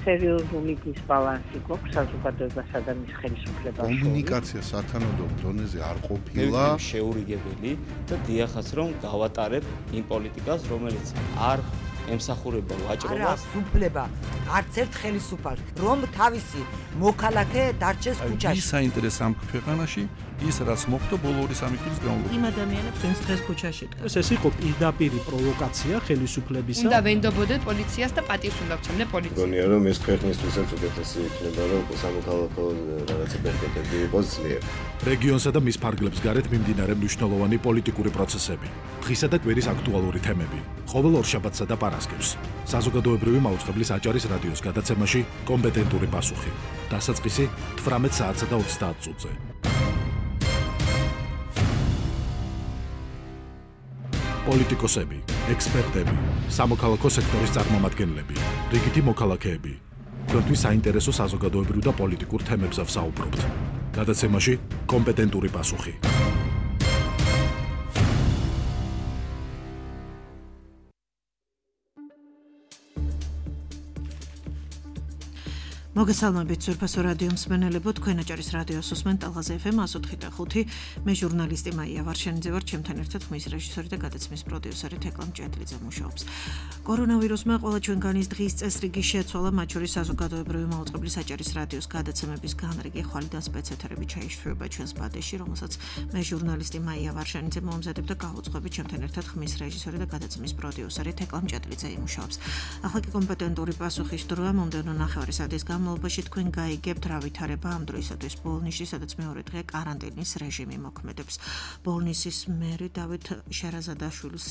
სერიოზული დისბალანსი გვაქვს საზოგადოებასა და მის ხელისუფლებას. კომუნიკაცია სათანადო დონეზე არ ყოფილა. შეურიგებელი და დიახაც რომ გავატარებ იმ პოლიტიკას, რომელიც არ ემსახურება ვაჭრობას. უფლება არც ერთ ხელისუფალს, რომ თავისი მოქალაქე დარჩეს ქუჩაში. ის საინტერესო ამ ქვეყანაში ის რაც მოხდა ბოლო 2-3 წლის განმავლობაში. იმ ადამიანებს ვინც დღეს ქუჩაში დგას. ეს იყო პირდაპირ პროვოკაცია ხელისუფლებისა. უნდა ვენდობოდეთ პოლიციას და პატივს უნდა ვცემდე პოლიციას. გონია რომ ეს ქვეყნისთვისაც უკეთესი იქნება რომ სამოქალაქო რაღაცა პერპეტები იყოს ძლიერ. რეგიონსა და მის ფარგლებს გარეთ მიმდინარე მნიშვნელოვანი პოლიტიკური პროცესები, დღისა და კვირის აქტუალური თემები, ყოველ ორშაბათსა და პარასკევს. საზოგადოებრივი მაუწყებლის აჭარის რადიოს გადაცემაში კომპეტენტური პასუხი. დასაწყისი 18 საათსა და 30 წუთზე. პოლიტიკოსები, ექსპერტები, სამოქალაქო სექტორის წარმომადგენლები, რიგითი მოქალაქეები. თქვენთვის საინტერესო საზოგადოებრივ და პოლიტიკურ თემებზე ვსაუბრობთ. გადაცემაში კომპეტენტური პასუხი. მოგესალმებით ზურფასო რადიო მსმენელებო, თქვენ აჭარის რადიოს უსმენთ ალღაზ FM 104.5. მე ჟურნალისტი მაია ვარშენიძე ვარ, ჩემთან ერთად ხმის რეჟისორი და გადაცემის პროდიუსერი თეკლა მჭედლიძე მუშაობს. კორონავირუსმა ყველა ჩვენგანის დღის წესრიგი შეცვალა, მათ შორის საზოგადოებრივი მაუწყებლის აჭარის რადიოს გადაცემების განრიგი ხვალიდან სპეცეთერები ჩაიშვება ჩვენს ბადეში, რომელსაც მე ჟურნალისტი მაია ვარშენიძე მომზადებ და გავუძღვებით ჩემთან ერთად ხმის რეჟისორი და გადაცემის პროდიუსერი თეკლა მჭედლიძე იმუშაობს. ახლა კი კომპეტენტური პასუხის დროა, მომდევნო ნახევარი საათის განმავლობაში თქვენ გაიგებთ რა ვითარება ამ დროისათვის ბოლნისში, სადაც მეორე დღე კარანტინის რეჟიმი მოქმედებს. ბოლნისის მერი დავით შერაზადაშვილს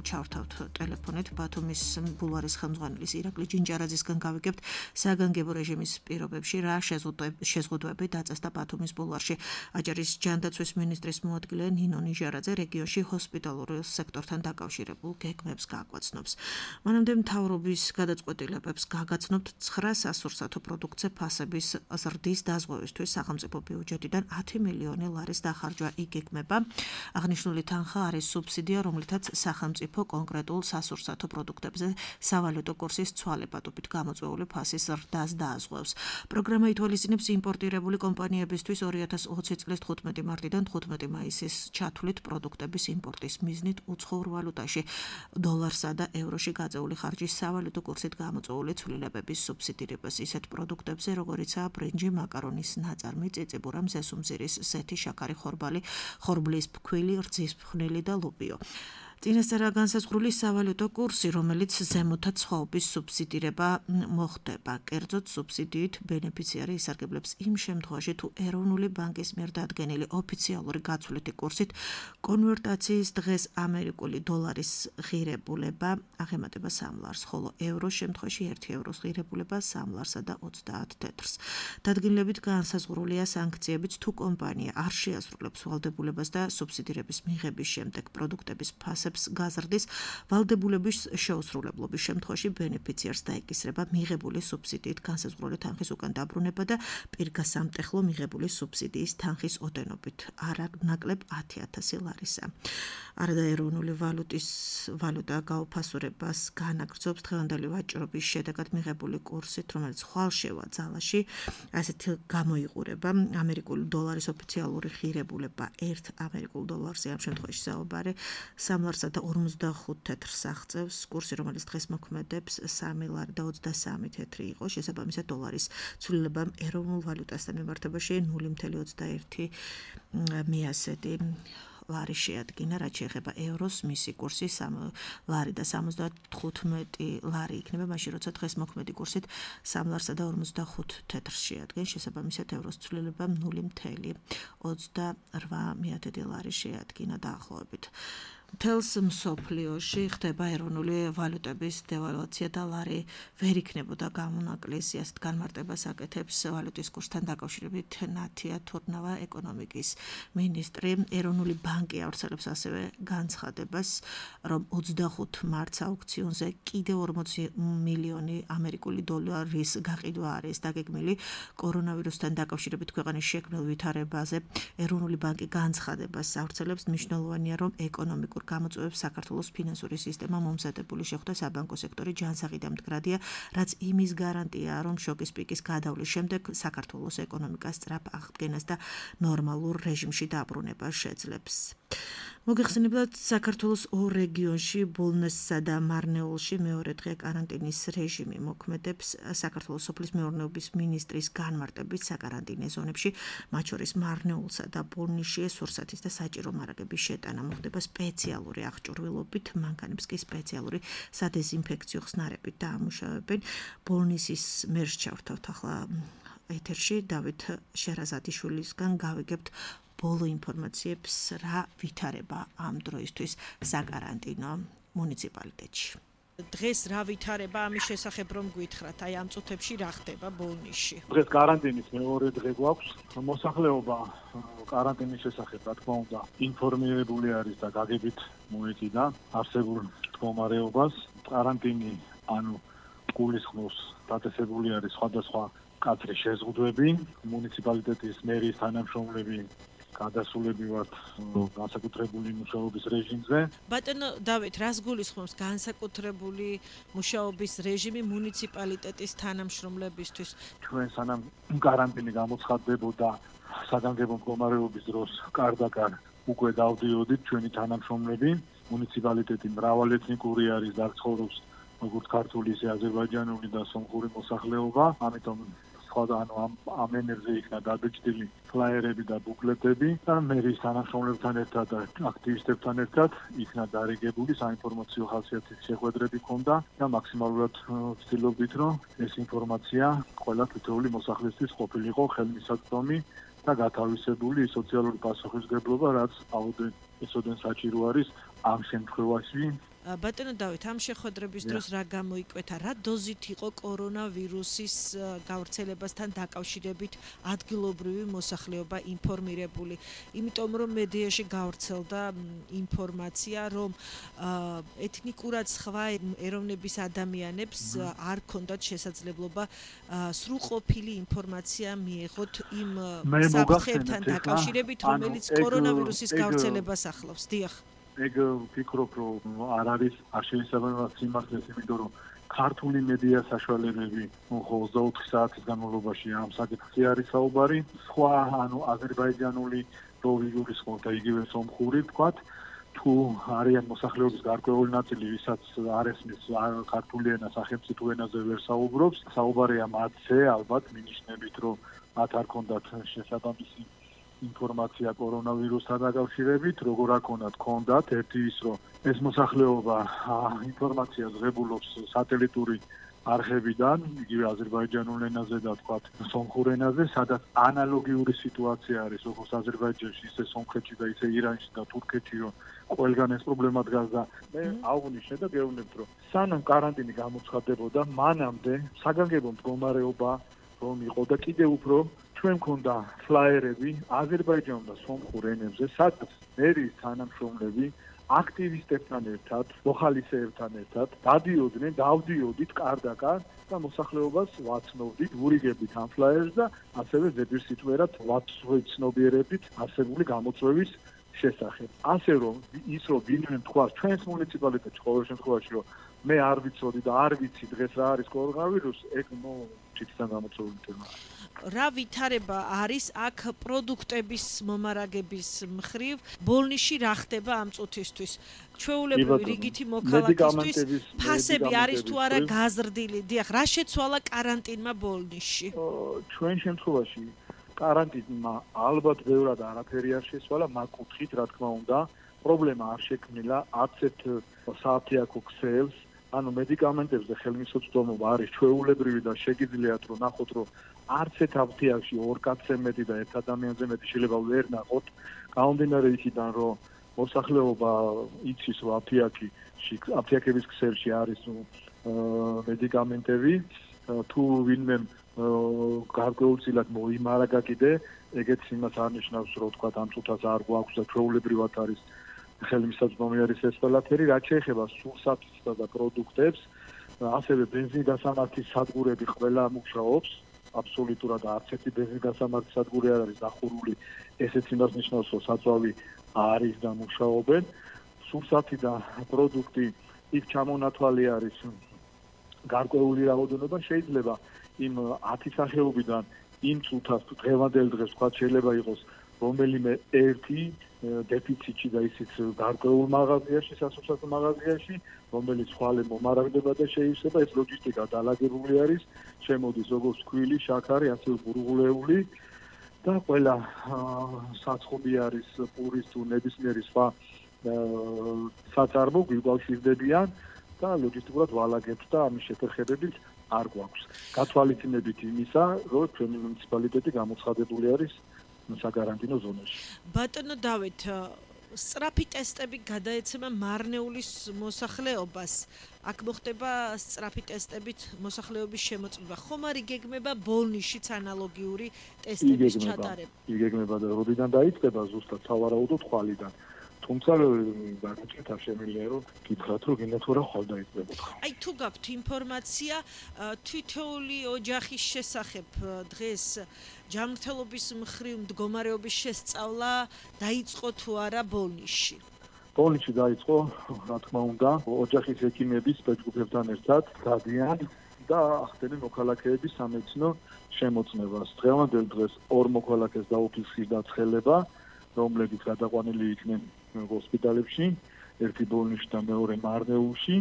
ჩავრთავთ ტელეფონით, ბათუმის ბულვარის ხელმძღვანელის ირაკლი ჯინჯარაძისგან გავიგებთ საგანგებო რეჟიმის პირობებში რა შეზღუდვები დაწესდა ბათუმის ბულვარში. აჭარის ჯანდაცვის მინისტრის მოადგილე ნინო ნიჟარაძე რეგიონში ჰოსპიტალურ სექტორთან დაკავშირებულ გეგმებს გააკვაცნობს. მანამდე მთავრობის გადაწყვეტილებებს გაგაცნობთ 9 სასურსათო პროდუქტზე ფასების ზრდის დაზღვევისთვის სახელმწიფო ბიუჯეტიდან 10 მილიონი ლარის დახარჯვა იგეგმება. აღნიშნული თანხა არის სუბსიდია, რომლითაც სახელმწიფო კონკრეტულ სასურსათო პროდუქტებზე სავალუტო კურსის ცვალებადობით გამოწვეული ფასის ზრდას დააზღვევს. პროგრამა ითვალისწინებს იმპორტირებული კომპანიებისთვის 2020 წლის 15 მარტიდან 15 მაისის ჩათვლით პროდუქტების იმპორტის მიზნით უცხოურ ვალუტაში დოლარსა და ევროში გაწეული ხარჯის სავალუტო კურსით გამოწვეული ცვლილებების სუბსიდირებას ისეთ პროდუქტებზე, როგორიცაა ბრინჯი, მაკარონის ნაწარმი, წიწიბურა, მზესუმზირის ზეთი, შაქარი, ხორბალი, ხორბლის ფქვილი, რძის ფხვნილი და ლუპიო. წინასწარ განსაზღვრული სავალუტო კურსი, რომელიც ზემოთა ცხოვების სუბსიდირება მოხდება. კერძოდ სუბსიდიით ბენეფიციარი ისარგებლებს იმ შემთხვევაში, თუ ეროვნული ბანკის მიერ დადგენილი ოფიციალური გაცვლითი კურსით კონვერტაციის დღეს ამერიკული დოლარის ღირებულება აღემატება 3 ლარს, ხოლო ევროს შემთხვევაში 1 ევროს ღირებულება 3 ლარსა და 30 თეთრს. დადგენილებით განსაზღვრულია სანქციებიც, თუ კომპანია არ შეასრულებს ვალდებულებას და სუბსიდირების მიღების შემდეგ პროდუქტების ფასებს გაზრდის, ვალდებულების შეუსრულებლობის შემთხვევაში ბენეფიციარს დაეკისრება მიღებული სუბსიდიით განსაზღვრული თანხის უკან დაბრუნება და პირგასამტეხლო მიღებული სუბსიდიის თანხის ოდენობით არანაკლებ 10,000 ლარისა. არაეროვნული ვალუტა გაუფასურებას განაგრძობს დღევანდელი ვაჭრობის შედეგად მიღებული კურსით, რომელიც ხვალშევა ძალაში, ასეთ გამოიყურება ამერიკული დოლარის ოფიციალური ღირებულება 1 ამერიკულ დოლარზე, ამ შემთხვევაში საუბარი 3 ლარსა და 45 თეთრს აღწევს. კურსი, რომელიც დღეს მოქმედებს 3 ლარი და 23 თეთრი იყო, შესაბამისად დოლარის ცვლილებამ ეროვნულ ვალუტასთან მიმართებაში 0.21 მიასედი ლარი შეადგინა, რაც შეეხება ევროს, მისი კურსი 3 ლარი და 75 ლარი იქნება, მაშინ როცა დღეს მოქმედი კურსით 3 ლარსა და 45 თეთრს შეადგენს, შესაბამისად ევროს ცვლილებამ 0.28 ლარი შეადგინა დაახლოებით. მთელს მსოფლიოში ხდება ეროვნული ვალუტების დევალვაცია და ლარი ვერ იქნებოდა გამონაკლისი, ასეთ განმარტებას აკეთებს ვალუტის კურსთან დაკავშირებით ნათია თურნავა ეკონომიკის მინისტრი. ეროვნული ბანკი ავრცელებს ასევე განცხადებას, რომ 25 მარტს აუქციონზე კიდევ 40 მილიონი ამერიკული დოლარის გაყიდვა არის დაგეგმილი კორონავირუსთან დაკავშირებით ქვეყნის შექმნილ ვითარებაზე. ეროვნული ბანკი განცხადებას ავრცელებს, მნიშვნელოვანია, რომ ეკონომიკურ გამოწვევებს საქართველოს ფინანსური სისტემა მომზადებული შეხვდა საბანკო სექტორი ჯანსაღი და მდგრადია, რაც იმის გარანტია, რომ შოკის პიკის გადავლის შემდეგ საქართველოს ეკონომიკას სწრაფ აღდგენას და ნორმალურ რეჟიმში დაბრუნება შეძლებს. მოგეხსენებათ, საქართველოს ორ რეგიონში, ბოლნესსა და მარნეულში მეორე დღე კარანტინის რეჟიმი მოქმედებს. საქართველოს სოფლის მეურნეობის მინისტრის განმარტებით საკარანტინო ზონებში, მათ შორის მარნეულსა და ბოლნისში სურსათის და საჭირო მარაგების შეტანა მოხდება სპეციალური აღჭურვილობით, მანქანებს კი სპეციალური სადეზინფექციო ხსნარებით დაამუშავებენ. ბოლნისის მერს ჩავთავთ ახლა ეთერში დავით შერაზადიშვილისგან გავიგებთ ბოლო ინფორმაციებს, რა ვითარება ამ დროისთვის საკარანტინო მუნიციპალიტეტში. დღეს რა ვითარება ამის შესახებ რომ გითხრათ, აი ამ წუთებში რა ხდება ბოლნისში? დღეს კარანტინის მეორე დღე გვაქვს. მოსახლეობა კარანტინის შესახებ, რა თქმა უნდა, ინფორმირებული არის და გაგებით მოეკიდა არსებულ მდგომარეობას. კარანტინი, ანუ გულისხმობს დაწესებული არის სხვადასხვა კადრის შეზღუდვები, მუნიციპალიტეტის მერის თანამშრომლები გადასულებივად განსაკუთრებული მუშაობის რეჟიმზე. ბატონო დავით, რას გულისხმობს განსაკუთრებული მუშაობის რეჟიმი მუნიციპალიტეტის თანამშრომლებისთვის? ჩვენ სანამ კარანტინი გამოცხადდებოდა საგანგებო მდგომარეობის დროს კარდაკარ უკვე დავდიოდით ჩვენი თანამშრომლები. მუნიციპალიტეტი მრავალეთნიკური არის და ცხოვრობს როგორც ქართული, ისე აზერბაიჯანული და სომხური მოსახლეობა. ამიტომ ამ ენერგზე იქნა დაბეჭდილი ფლაიერები და ბუკლეტები და მერის თანამშრომლებთან ერთად და აქტივისტებთან ერთად იქნა დარიგებული საინფორმაციო ხასიათის შეხვედრები ჰქონდა და მაქსიმალურად ვცდილობდით, რომ ეს ინფორმაცია ყველა თითოეული მოსახლისთვის ყოფილიყო ხელმისაწვდომი და გათავისებული სოციალური პასუხისმგებლობა, რაც აუდიტესოდენ საჭირო არის ამ შემთხვევაში. ბატონო დავით, ამ შეხვედრების დროს რა გამოიკვეთა, რა დოზით იყო კორონავირუსის გავრცელებასთან დაკავშირებით ადგილობრივი მოსახლეობა ინფორმირებული? იმიტომ რომ მედიაში გავრცელდა ინფორმაცია, რომ ეთნიკურად სხვა ეროვნების ადამიანებს არ ჰქონდათ შესაძლებლობა სრულყოფილი ინფორმაცია მიეღოთ იმ საფრთხეებთან დაკავშირებით, რომელიც კორონავირუსის გავრცელებას ახლავს. დიახ. ეგ ვფიქრობ, რომ არ არის აღშენებადი სიმართლეს, იმიტომ რომ ქართული მედია საშუალებები 24 საათის განმავლობაში ამ საკითხზე არის საუბარი. სხვა, ანუ აზერბაიჯანული პროვინციის და იგივე სომხური ვთქვათ, თუ არიან მოსახლეობის გარკვეული ნაწილი, ვისაც არ ესმის ქართული ენა სახელმწიფო ენაზე ვერ საუბრობს, საუბარია მათზე, ალბათ მინიშნებით, რომ მათ არ ქონდათ შესაბამისი ინფორმაცია კორონავირუსთან დაკავშირებით, როგორ არ ქონდათ, ერთი ის, რომ ეს მოსახლეობა ინფორმაციას ღებულობს სატელიტური არხებიდან, იგივე აზერბაიჯანულ ენაზე და თქვათ სომხურ ენაზე, სადაც ანალოგიური სიტუაცია არის, როგორც აზერბაიჯანში, ისე სომხეთში და ისე ირანში და თურქეთში, რომ ყველგან ეს პრობლემა დგას და მე აღვნიშნე და გეუბნებთ, რომ სანამ კარანტინი გამოცხადდებოდა, მანამდე საგანგებო მდგომარეობა რომ იყო და კიდევ უფრო ჩვენ მქონდა ფლაიერები აზერბაიჯანულ და სომხურ ენებზე, სადაც მერის თანამშრომლები აქტივისტებთან ერთად, მოხალისეებთან ერთად დავდიოდით კარდაკარ და მოსახლეობას ვაცნობდით, ვურიგებდით ამ ფლაიერს და ასევე ზედმეტსიტყვიერად ვაცნობიერებდით არსებული გამოწვევის შესახებ. ასე რომ ის რომ ვინმე თქვა ჩვენს მუნიციპალიტეტში ყოველ შემთხვევაში რომ მე არ ვიცოდი და არ ვიცი დღეს რა არის კორონავირუსი, ეგ თვითონ გამოწვეული თემა. რა ვითარება არის აქ პროდუქტების მომარაგების მხრივ? ბოლნისში რა ხდება ამ წუთისთვის? ჩვეულებრივი რიგითი მოქალაქისთვის ფასები არის თუ არა გაზრდილი? დიახ, რა შეცვალა კარანტინმა ბოლნისში? ჩვენ შემთხვევაში კარანტინმა ალბათ ბევრად არაფერი არ შეცვალა, მაგ კუთხით, რა თქმა უნდა, პრობლემა არ შექმნილა, არც ერთ სააფთიაქო ქსელს, ანუ მედიკამენტებზე ხელმისაწვდომობა არის ჩვეულებრივი და შეგიძლიათ რომ ნახოთ, რომ არც ერთ აფთიაქში ორ კაცზე მეტი და ერთ ადამიანზე მეტი შეიძლება ვერ ნახოთ, გამომდინარე იქიდან, რომ მოსახლეობა იცის, რომ აფთიაქების ქსელში არის მედიკამენტები, თუ ვინმე გარკვეულწილად მოიმარაგა კიდე, ეგეც იმას არ ნიშნავს, რომ თქვა ამ წუთას არ გვაქვს და ჩვეულებრივად არის ხელმისაწვდომი არის ეს ყველაფერი, რაც შეეხება სურსათისა და პროდუქტებს, ასევე ბენზინგასამართის სადგურები ყველა მუშაობს, აბსოლუტურად არც ერთი ბენზინგასამართის სადგური არ არის დახურული, ესეც იმას ნიშნავს, რომ საწვავი არის და მუშაობენ. სურსათი და პროდუქტი იქ ჩამონათვალი არის გარკვეული რაოდენობა, შეიძლება იმ 10 სახეობიდან იმ წუთას თუ დღევანდელ დღეს თქვა შეიძლება იყოს რომელიმე ერთი დეფიციტი და ისიც გარკვეულ მაღაზიაში, სასურსათო მაღაზიაში, რომელიც ხვალე მომარაგდება და შეივსება, ეს ლოჯისტიკა დალაგებული არის, შემოდის როგორც ქვილი, შაქარი, ასევე ბურღულეული და ყველა საცხობი არის პურის თუ ნებისმიერი სხვა საწარმო გვიკავშირდებიან და ლოჯისტიკურად ვალაგებთ და ამის შეთანხმებით არ გვაქვს. გათვალისწინებით იმისა, რომ ჩვენი მუნიციპალიტეტი გამოცხადებული არის საგარანტინო ზონაში. ბატონო დავით, სწრაფი ტესტები გადაეცემა მარნეულის მოსახლეობას. აქ მოხდება სწრაფი ტესტებით მოსახლეობის შემოწმება. ხომ არ იგეგმება ბოლნიშიც ანალოგიური ტესტების ჩატარება? იგეგმება და როდიდან დაიწყება ზუსტად სავარაუდოდ ხვალიდან. თუმცა გაგიჩვენეთ არ შემიძლია რომ გითხრათ რომ გინდათ რა ხვალ დაიწყებოდა. აი თუ გაქვთ ინფორმაცია თითოეული ოჯახის შესახებ დღეს ჯანმრთელობის მხრივ მდგომარეობის შესწავლა დაიწყო თუ არა ბოლნიშში? ბოლნიშში დაიწყო, რა თქმა უნდა, ოჯახის ექიმები სპეცგრუპებთან ერთად გადიან და ახდენენ მოქალაქეების სამედიცინო შემოწმებას. დღევანდელ დღეს 2 მოქალაქეს დაუფიქსირდა დაცხელება, რომლებიც გადაყვანილი იქნენ ჰოსპიტალებში, ერთი ბოლნიშში და მეორე მარნეულში,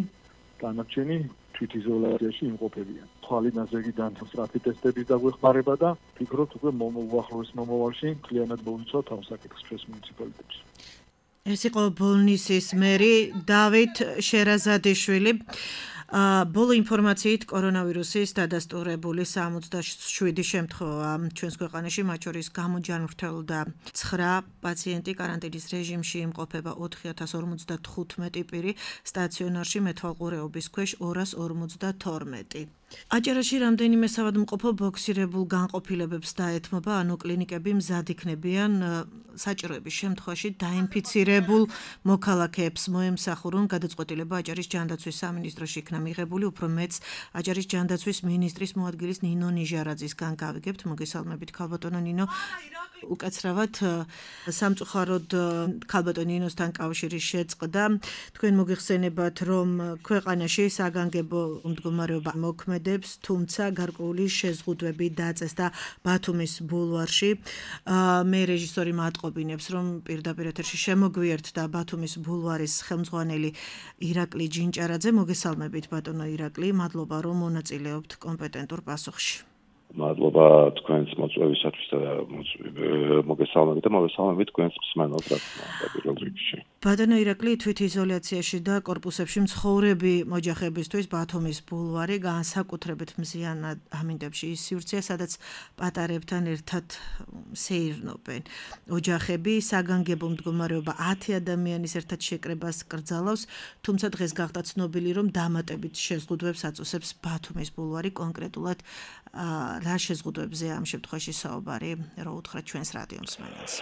დანარჩენი თვითიზოლაციაში იმყოფებიან. ხვალიდან ზეგიდან სწრაფი ტესტების დაგვეხმარება და ვფიქრობთ უკვე უახლოეს მომავალში მთლიანად მოვიცავთ ამ საკითხს ჩვენს მუნიციპალიტეტში. ეს იყო ბოლნისის მერი დავით შერაზადიშვილი. ბოლო ინფორმაციით კორონავირუსის დადასტურებული 67 შემთხვევა ჩვენს ქვეყანაში, მათ შორის გამოჯანმრთელდა 9 პაციენტი, კარანტინის რეჟიმში იმყოფება 4055 პირი, სტაციონარში მეთვალყურეობის ქვეშ 252. აჭარაში რამდენიმე საავადმყოფო ბოქსირებულ განყოფილებებს დაეთმობა, ანუ კლინიკები მზად იქნებიან საჭიროების შემთხვევაში დაინფიცირებულ მოქალაქეებს მოემსახურონ. გადაწყვეტილება აჭარის ჯანდაცვის სამინისტროში იქნა მიღებული, უფრო მეც აჭარის ჯანდაცვის მინისტრის მოადგილის ნინო ნიჟარაძისგან გავიგებთ. მოგესალმებით ქალბატონო ნინო. უკაცრავად სამწუხაროდ ქალბატონ ნინოსთან კავშირი შეწყდა. თქვენ მოგეხსენებათ, რომ ქვეყანაში საგანგებო მდგომარეობა მოქმედებს, თუმცა გარკვეული შეზღუდვები დაწესდა ბათუმის ბულვარში. მე რეჟისორი მატყობინებს, რომ პირდაპირ ეთერში შემოგვიერთდა ბათუმის ბულვარის ხელმძღვანელი ირაკლი ჯინჭარაძე. მოგესალმებით ბატონო ირაკლი, მადლობა რომ მონაწილეობთ კომპეტენტურ პასუხში. მადლობა თქვენს მოწვევისათვის და მოგესალმებით და მოგესალმებით თქვენს მსმენელს რა თქმა უნდა პირველ რიგში. ბატონო ირაკლი, თვითიზოლაციაში და კორპუსებში მცხოვრები ოჯახებისთვის ბათუმის ბულვარი განსაკუთრებით მზიანად ამინდებში ის სივრცეა, სადაც პატარებთან ერთად სეირნობენ. ოჯახები საგანგებო მდგომარეობა 10 ადამიანის ერთად შეკრებას კრძალავს, თუმცა დღეს გახდა ცნობილი, რომ დამატებით შეზღუდვებს აწესებს ბათუმის ბულვარი, კონკრეტულად რა შეზღუდვებზე ამ შემთხვევაში საუბარი, რო უთხრათ ჩვენს რადიო მსმენელს.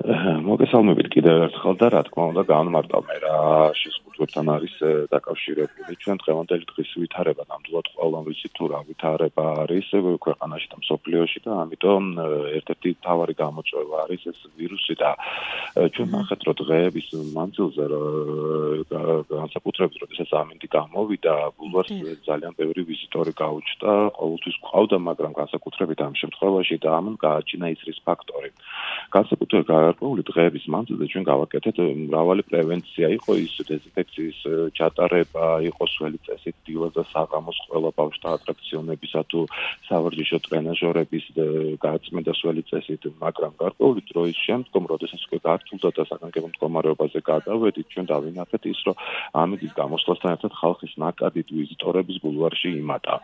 მოგესალმებით კიდევ ერთხელ და რა თქმა უნდა განმარტავ მე რა შეზღუდვებთან არის დაკავშირებული. ჩვენ დღევანდელი დღის ვითარება ნამდვილად ყველამ ვიცით თუ რა ვითარება არის ქვეყანაში და მსოფლიოში და ამიტომ ერთ-ერთი მთავარი გამოწვევა არის ეს ვირუსი და ჩვენ ნახეთ რომ დღეების მანძილზე განსაკუთრებით როდესაც ამინდი გამოვიდა ბულვარს ძალიან ბევრი ვიზიტორი გაუჩნდა, ყოველთვის ყავდა, მაგრამ განსაკუთრებით ამ შემთხვევაში და ამან გააჩინა ისრის ფაქტორი. განსაკუთრებით გარკვეული დღეების მანძილზე ჩვენ გავაკეთეთ მრავალი პრევენცია, იყო ის დეზინფექციის ჩატარება, იყო სველი წესით დილას და საღამოს ყველა ბავშვთა ატრაქციონებისა თუ სავარჯიშო ტრენაჟორების გაწმენდა სველი წესით, მაგრამ გარკვეული დროის შემდგომ, როდესაც უკვე გართულდა და საგანგებო მდგომარეობაზე გადავედით, ჩვენ დავინახეთ ის, რომ ამინდის გამოსვლასთან ერთად ხალხის ნაკადით ვიზიტორების ბულვარში იმატა.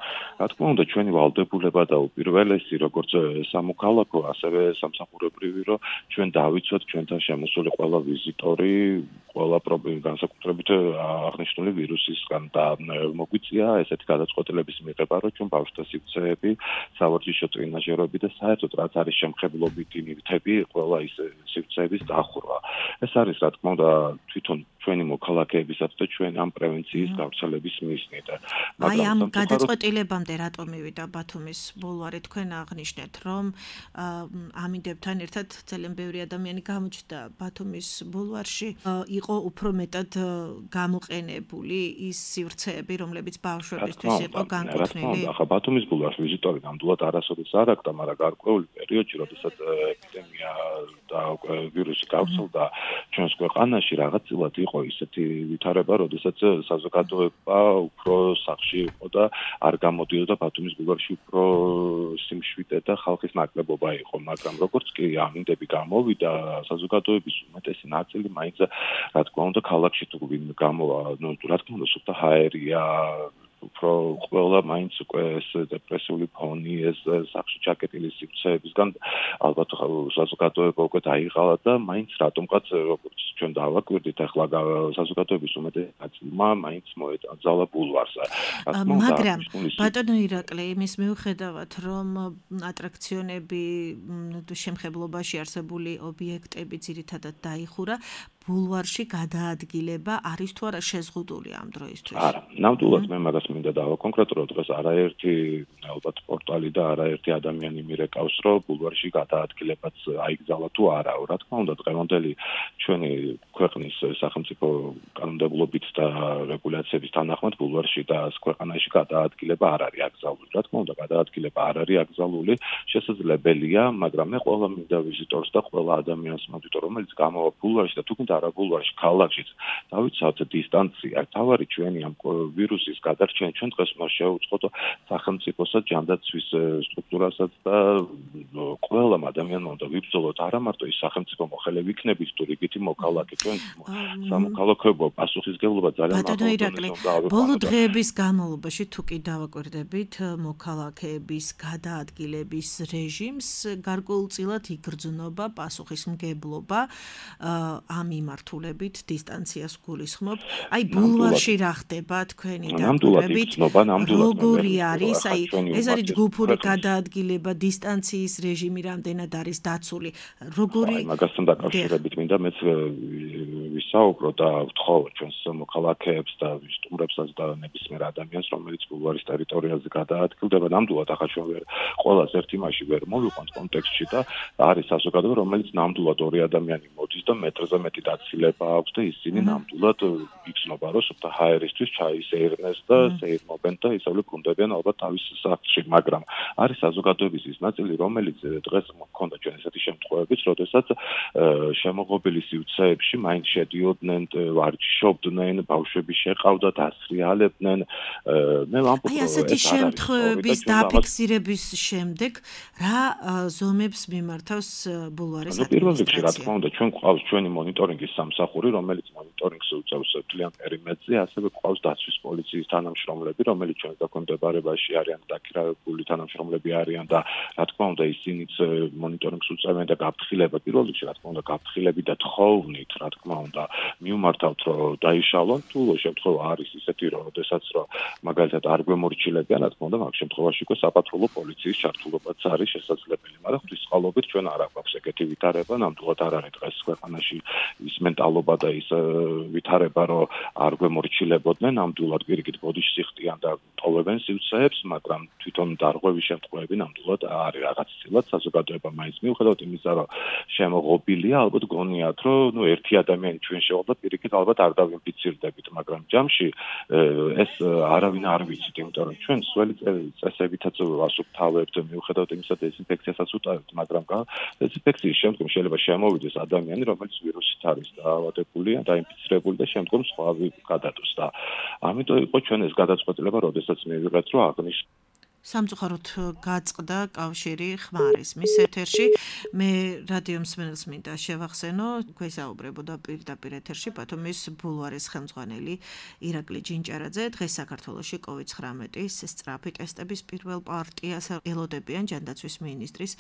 რა თქმა უნდა, ჩვენი ვალდებულება და უპირველესი, როგორც სამოქალაქო, ასევე სამსახურებრივი, რომ ჩვენ დავიცვათ ჩვენთან შემოსული ყველა ვიზიტორი, ყველა პრობლემა განსაკუთრებით აღნიშნული ვირუსისგან და მოგვიწია ესეთი გადაწყვეტილების მიღება, რომ ჩვენ ბავშვთა სივრცეები, სავარჯიშო ტრენაჟერები და საერთოდ რაც არის შემხებლობითი ნივთები, ყველა ის სივრცეების დახურვა. ეს არის რა თქმა უნდა თვითონ ჩვენი მოქალაქეებისაც და ჩვენ ამ პრევენციის გავრცელების მიზნით. აი ამ გადაწყვეტილებამდე რატო მივიდა ბათუმის ბულვარი? თქვენ აღნიშნეთ, რომ ამინდებთან ერთად ძალიან ბევრი ადამიანი გამოჩნდა ბათუმის ბულვარში, იყო უფრო მეტად გამოყენებული ის სივრცეები, რომლებიც ბავშვებისთვის იყო განკუთვნილი. ახლა ბათუმის ბულვარში ვიზიტორი ნამდვილად არასოდეს არ აქვს, მაგრამ გარკვეული პერიოდში, როდესაც ეპიდემია და ვირუსი გავრცელდა ჩვენს ქვეყანაში, რაღაცილად იყო ისეთი ვითარება, როდესაც საზოგადოება უფრო სახში იყო და არ გამოდიოდა ბათუმის ბულვარში უფრო სიმშვიდე და ხალხის ნაკლებობა იყო, მაგრამ როგორც კი ამინდები გამოვიდა, საზოგადოების უმეტესი ნაწილი მაინც რა თქმა უნდა ქალაქში თუ გამოვა, რა თქმა უნდა სუფთა ჰაერია უფრო ყველა მაინც უკვე ეს დეპრესიული ფონი, ეს სახში ჩაკეტილი სივრცეებისგან ალბათ საზოგადოება უკვე დაიღალა და მაინც რატომღაც როგორც ჩვენ დავაკვირდით ახლა საზოგადოების უმეტესი ნაწილმა მაინც მოეწალა ბულვარს. მაგრამ ბატონო ირაკლი, იმის მიუხედავად, რომ ატრაქციონები, შემხებლობაში არსებული ობიექტები ძირითადად დაიხურა, ბულვარში გადაადგილება არის თუ არა შეზღუდული ამ დროისთვის? არა, ნამდვილად მე მაგას მინდა დავაკონკრეტო, დღეს არაერთი ალბათ პორტალი და არაერთი ადამიანი მირეკავს, რომ ბულვარში გადაადგილებაც აიგზავნა თუ არა. რა თქმა უნდა, დღევანდელი ჩვენი ქვეყნის სახელმწიფო კანონმდებლობით და რეგულაციების თანახმად ბულვარში და ქვეყანაში გადაადგილება არ არის აკრძალული. რა თქმა უნდა, გადაადგილება არ არის აკრძალული, შესაძლებელია, მაგრამ მე ყველა მინდა ვიზიტორს და ყველა ადამიანს მოვიტო, რომელიც გამოვა ბულვარში და თუნდაც არა ბულვარში, ქალაქშიც დავიცავთ დისტანცია. თავარი ჩვენი ამ ვირუსის გადარჩენა ჩვენ დღეს მას შევუწყოთ სახელმწიფოსაც, ჯანდაცვის სტრუქტურასაც და ყველამ ადამიანმა უნდა ვიბრძოლოთ არა მარტო ის სახელმწიფო მოხელე ვიქნებით თუ რიგითი მოქალაქე, ჩვენ სამოქალაქოებო პასუხისმგებლობა ძალიან მაღალია. ბოლო დღეების განმავლობაში თუ კი დავაკვირდებით მოქალაქეების გადაადგილების რეჟიმს, გარკვეულწილად იგრძნობა პასუხისმგებლობა ამ მიმართულებით დისტანციას გულისხმობ. აი ბულვარში რა ხდება თქვენი დაკვირვებით? როგორი არის? აი ეს არის ჯგუფური გადაადგილება, დისტანციის რეჟიმი რამდენად არის დაცული? როგორი მაგასთან დაკავშირებით მინდა მეც ვისაუბრო და ვთხოვო ჩვენს მოქალაქეებს და სტუმრებსაც და ნებისმიერ ადამიანს, რომელიც ბულვარის ტერიტორიაზე გადაადგილდება, ნამდვილად ახლა ჩვენ ყველას ერთ იმაში ვერ მოვიყვანთ კონტექსტში და არის საზოგადოება, რომელიც ნამდვილად ორი ადამიანი მოდის და მეტრზე მეტი დაცილება აქვს და ისინი ნამდვილად იგრძნობა, რომ სუფთა ჰაერისთვის ჩაისეირნეს და სეირნობენ და ისევ ბრუნდებიან ალბათ თავის სახლში, მაგრამ არის საზოგადოების ის ნაწილი, რომელიც დღეს მქონდა ჩვენ ესეთი შემთხვევებიც, როდესაც შემოღობილი სივრცეებში მაინც შედიოდნენ, ვარჯიშობდნენ, ბავშვები შეყავდათ, ასრიალებდნენ. მე ვამბობ, აი ასეთი შემთხვევების დაფიქსირების შემდეგ რა ზომებს მიმართავს ბულვარის ადმინისტრაცია? პირველ რიგში რა თქმა უნდა ჩვენ გვყავს ჩვენი მონიტორინგის სამსახური, რომელიც მონიტორინგს უწევს მთლიან პერიმეტრზე, ასევე გვყავს დაცვის პოლიციის თანამშრომლები, რომელიც ჩვენს დაქვემდებარებაში არიან დაქირავებული თანამშრომლები არიან და რა თქმა უნდა ისინიც მონიტორინგს უწევენ და გაფრთხილება პირველ რიგში რა თქმა უნდა გაფრთხილები და თხოვნით რა თქმა უნდა მივმართავთ რომ დაიშალონ თუ შემთხვევა არის ისეთი რომ შესაძაც რომ მაგალითად არ გვემორჩილებიან რა თქმა უნდა მაგ შემთხვევაში უკვე საპატრულო პოლიციის ჩართულობაც არის შესაძლებელი, მაგრამ ღვთისმწყალობით ჩვენ არ აქვს ეგეთი ვითარება, ნამდვილად არ არის დღეს ქვეყანაში ის მენტალობა და ის ვითარება რომ არ გვემორჩილებოდნენ, ნამდვილად პირიქით ბოდიშს იხდიან და ტოვებენ სივრცეებს, მაგრამ თვითონ დარღვევის შემთხვევები ნამდვილად არის რაღაც ცილად საზოგადოება მაინც მიუხედავად იმისა რომ შემოღობილია, ალბათ გონიათ რომ ერთი ადამიანი ჩვენ შევალ და პირიქით ალბათ არ დავინფიცირდებით, მაგრამ ჯამში ეს არავინ არ ვიცით, იმიტომ რომ ჩვენ სველი წესებითაც ვასუფთავებთ, მიუხედავად იმისა დეზინფექციასაც უტარებთ, მაგრამ დეზინფექციის შემდგომ შეიძლება შემოვიდეს ადამიანი, რომელიც ვირუსით არის დაავადებული, დაინფიცირებული და შემდგომ სხვა გადადოს და ამიტომ იყო ჩვენ ეს გადაწყვეტილება, როდესაც მივიღეთ, რომ აღნიშნულ სამწუხაროდ გაწყდა კავშირი ხმარისმის ეთერში. მე რადიო მსმენელს მინდა შევახსენო, გვესაუბრებოდა პირდაპირ ეთერში ბათუმის ბულვარის ხელმძღვანელი ირაკლი ჯინჭარაძე. დღეს საქართველოში COVID-19-ის სწრაფი ტესტების პირველ პარტიას ელოდებიან ჯანდაცვის მინისტრის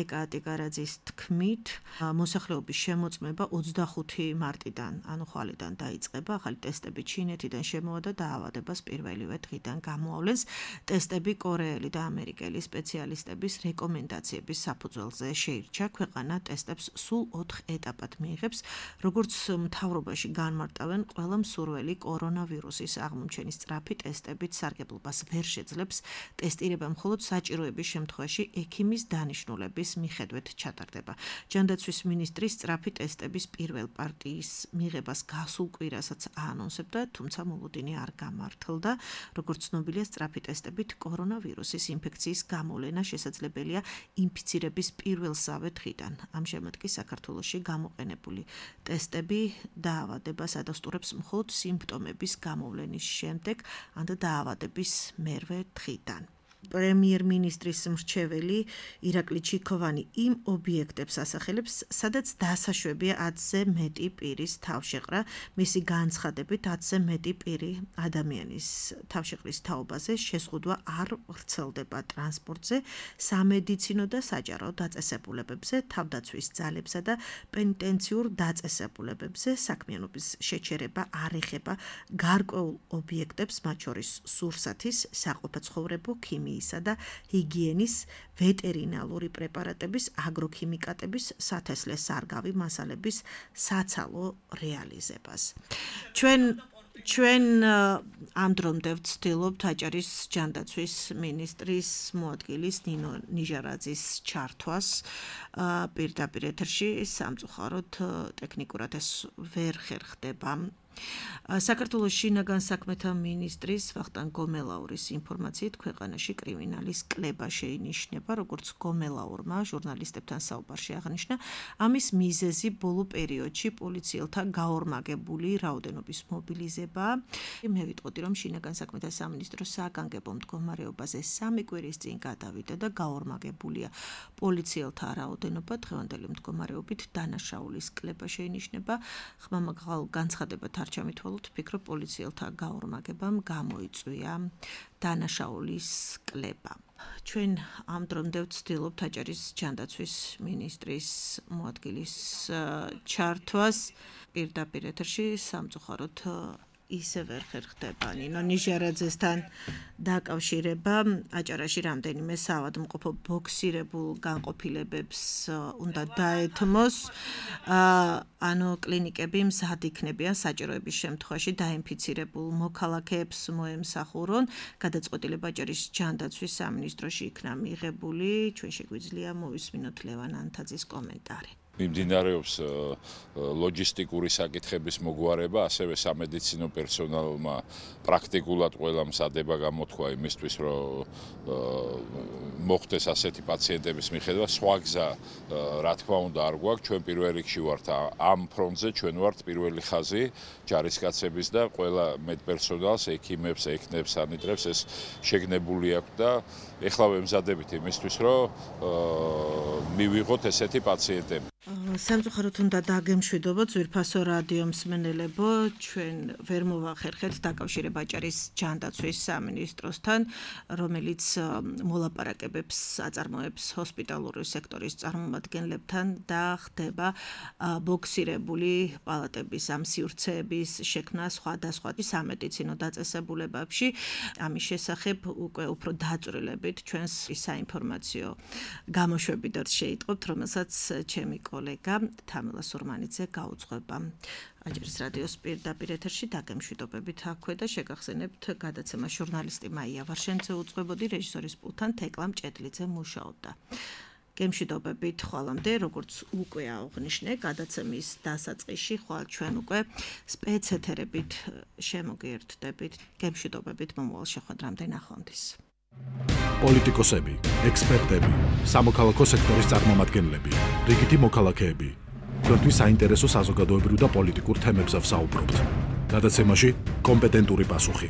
ეკაატი გარაძის თქმით. მოსახლეობის შემოწმება 25 მარტიდან, ანუ ხვალიდან დაიწყება. ახალი ტესტები ჩინეთიდან შემოვა და დაავადებას პირველივე დღიდან გამოავლენს. ტესტები კორეა კორეელი და ამერიკელი სპეციალისტების რეკომენდაციების საფუძველზე შეირჩა ქვეყანა ტესტებს სულ 4 ეტაპად მიიღებს, როგორც მთავრობაში განმარტავენ, ყველა მსურველი კორონავირუსის აღმომჩენის სწრაფი ტესტებით სარგებლობას ვერ შეძლებს, ტესტირება მხოლოდ საჭიროების შემთხვევაში ექიმის დანიშნულების მიხედვით ჩატარდება. ჯანდაცვის მინისტრის სწრაფი ტესტების პირველ პარტიის მიღებას გასულ კვირასაც აანონსებდა, თუმცა მოლოდინი არ გამართლდა. როგორც ცნობილია, სწრაფი ტესტებით კორონავირუსის ინფექციის გამოვლენა შესაძლებელია ინფიცირების პირველსავე დღიდან. ამჟამად კი საქართველოში გამოყენებული ტესტები დაავადებას ადასტურებს მხოლოდ სიმპტომების გამოვლენის შემდეგ, ან დაავადების მერვე დღიდან. პრემიერ-მინისტრის მრჩეველი ირაკლი ჩიქოვანი იმ ობიექტებს ასახელებს, სადაც დასაშვებია 10-ზე მეტი პირის თავშეყრა, მისი განცხადებით 10-ზე მეტი პირი ადამიანის თავშეყრის თაობაზე შეზღუდვა არ ვრცელდება ტრანსპორტზე, სამედიცინო და საჯარო დაწესებულებებზე, თავდაცვის ძალებსა და პენიტენციურ დაწესებულებებზე საქმიანობის შეჩერება არ ეხება გარკვეულ ობიექტებს, მათ შორის სურსათის, საყოფაცხოვრებო ქიმიისა და ჰიგიენის, ვეტერინალური პრეპარატების, აგროქიმიკატების, სათესლე სარგავი მასალების საცალო რეალიზებას. ჩვენ ამ დრომდე ვცდილობთ აჭარის ჯანდაცვის მინისტრის მოადგილის ნინო ნიჟარაძის ჩართვას პირდაპირ ეთერში, სამწუხაროდ ტექნიკურად ეს ვერ ხერხდება. საქართველოს შინაგან საქმეთა მინისტრის ვახტანგ გომელაურის ინფორმაციით ქვეყანაში კრიმინალის კლება შეინიშნება, როგორც გომელაურმა ჟურნალისტებთან საუბარში აღნიშნა, ამის მიზეზი ბოლო პერიოდში პოლიციელთა გაორმაგებული რაოდენობის მობილიზება. მე ვიტყოდი, რომ შინაგან საქმეთა სამინისტროს საგანგებო მდგომარეობაზე 3 კვირის წინ გადავიდა და გაორმაგებულია პოლიციელთა რაოდენობა, დღევანდელი მდგომარეობით დანაშაულის კლება შეინიშნება. ხმამაღალ განცხადებად არ ჩამითვალოთ, ვფიქრობ, პოლიციელთა გაორმაგებამ გამოიწვია დანაშაულის კლება. ჩვენ ამ დრომდე ვცდილობთ აჭარის ჯანდაცვის მინისტრის მოადგილის ჩართვას პირდაპირ ეთერში, სამწუხაროდ ისე ვერ ხერხდება ნინო ნიჟარაძესთან დაკავშირება. აჭარაში რამდენიმე საავადმყოფო ბოქსირებულ განყოფილებებს უნდა დაეთმოს, ანუ კლინიკები მზად იქნებიან საჭიროების შემთხვევაში დაინფიცირებულ მოქალაქეებს მოემსახურონ. გადაწყვეტილება აჭარის ჯანდაცვის სამინისტროში იქნა მიღებული. ჩვენ შეგვიძლია მოვისმინოთ ლევან ანთაძის კომენტარი. მიმდინარეობს ლოჯისტიკური საკითხების მოგვარება, ასევე სამედიცინო პერსონალმა პრაქტიკულად ყველა მზადება გამოთქვა იმისთვის, რომ მოხდეს ასეთი პაციენტების მიხედვა. სხვა გზა, რა თქმა უნდა, არ გვაქვს. ჩვენ პირველ რიგში ვართ ამ ფრონტზე, ჩვენ ვართ პირველი ხაზი ჯარისკაცების და ყველა მედპერსონალს, ექიმებს, ექნებს, სანიტრებს ეს შეგნებული აქვს და ეხლა ვემზადებით იმისთვის, რომ მივიღოთ ესეთი პაციენტები. სამწუხაროდ უნდა დაგემშვიდობოთ ძვირფასო რადიო მსმენელებო, ჩვენ ვერ მოვახერხეთ დაკავშირება აჭარის ჯანდაცვის სამინისტროსთან, რომელიც მოლაპარაკებებს აწარმოებს ჰოსპიტალური სექტორის წარმომადგენლებთან და ხდება ბოქსირებული პალატების ამ სივრცეების შექმნა სხვადასხვა სამედიცინო დაწესებულებებში. ამის შესახებ უკვე უფრო დაწვრილებით ჩვენს საინფორმაციო გამოშვებითაც შეიტყობთ, რომელსაც ჩემი კოლეგა თამილა სურმანიძე გაუძღვება. აჭარის რადიოს პირდაპირ ეთერში დაგემშვიდობებით აქვე და შეგახსენებთ გადაცემა ჟურნალისტი მაია ვარშენძე უძღვებოდი, რეჟისორის პულტთან თეკლა მჭედლიძე მუშაობდა. გემშვიდობებით ხვალამდე, როგორც უკვე აღნიშნე, გადაცემის დასაწყისში ხვალ ჩვენ უკვე სპეცეთერებით შემოგიერთდებით. გემშვიდობებით მომავალ შეხვედრამდე, ნახვამდის. პოლიტიკოსები, ექსპერტები, სამოქალაქო სექტორის წარმომადგენლები, რიგითი მოქალაქეები. თქვენთვის საინტერესო საზოგადოებრივ და პოლიტიკურ თემებზე ვსაუბრობთ. გადაცემაში კომპეტენტური პასუხი.